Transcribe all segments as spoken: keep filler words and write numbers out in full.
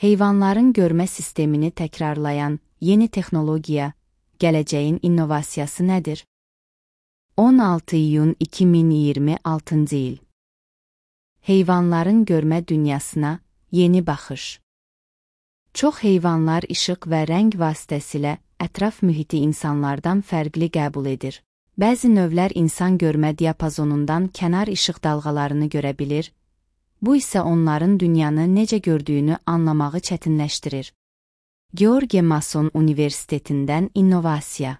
Heyvanların görmə sistemini təkrarlayan yeni texnologiya, gələcəyin innovasiyası nədir? on altı iyun iki min iyirmi altıncı il. Heyvanların görmə dünyasına yeni baxış. Çox heyvanlar işıq və rəng vasitəsilə ətraf mühiti insanlardan fərqli qəbul edir. Bəzi növlər insan görmə diapazonundan kənar işıq dalğalarını görə bilir, bu isə onların dünyanı necə gördüyünü anlamağı çətinləşdirir. George Mason Universitetindən innovasiya.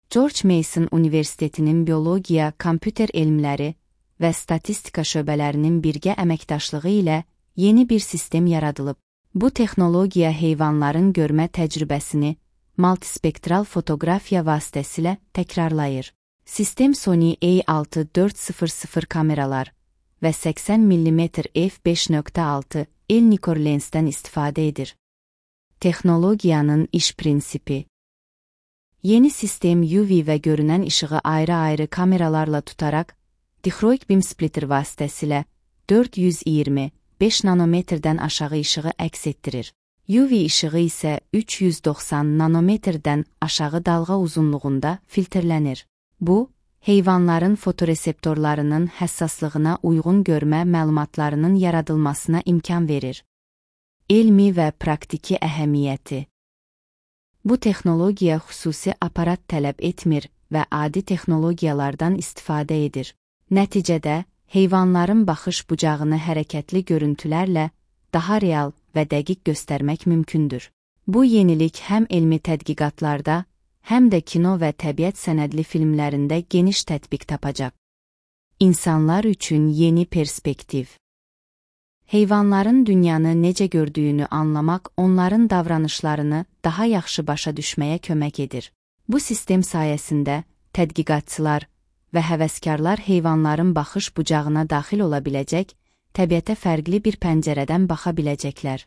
George Mason Universitetinin biologiya, kompüter elmləri və statistika şöbələrinin birgə əməkdaşlığı ilə yeni bir sistem yaradılıb. Bu texnologiya heyvanların görmə təcrübəsini multispektral fotoqrafiya vasitəsilə təkrarlayır. Sistem Sony A altı dörd sıfır sıfır kameralar və səksən millimetr f beş nöqtə altı el Nikkor lensdən istifadə edir. Texnologiyanın iş prinsipi. Yeni sistem U V və görünən işığı ayrı-ayrı kameralarla tutaraq, dichroic beam splitter vasitəsilə dörd yüz iyirmi beş nanometrdən aşağı işığı əks etdirir. U V işığı isə üç yüz doxsan nanometrdən aşağı dalğa uzunluğunda filtrlənir. Bu, heyvanların fotoreseptorlarının həssaslığına uyğun görmə məlumatlarının yaradılmasına imkan verir. Elmi və praktiki əhəmiyyəti. Bu texnologiya xüsusi aparat tələb etmir və adi texnologiyalardan istifadə edir. Nəticədə, heyvanların baxış bucağını hərəkətli görüntülərlə daha real və dəqiq göstərmək mümkündür. Bu yenilik həm elmi tədqiqatlarda, həm də kino və təbiət sənədli filmlərində geniş tətbiq tapacaq. İnsanlar üçün yeni perspektiv. Heyvanların dünyanı necə gördüyünü anlamaq onların davranışlarını daha yaxşı başa düşməyə kömək edir. Bu sistem sayəsində tədqiqatçılar və həvəskarlar heyvanların baxış bucağına daxil ola biləcək, təbiətə fərqli bir pəncərədən baxa biləcəklər.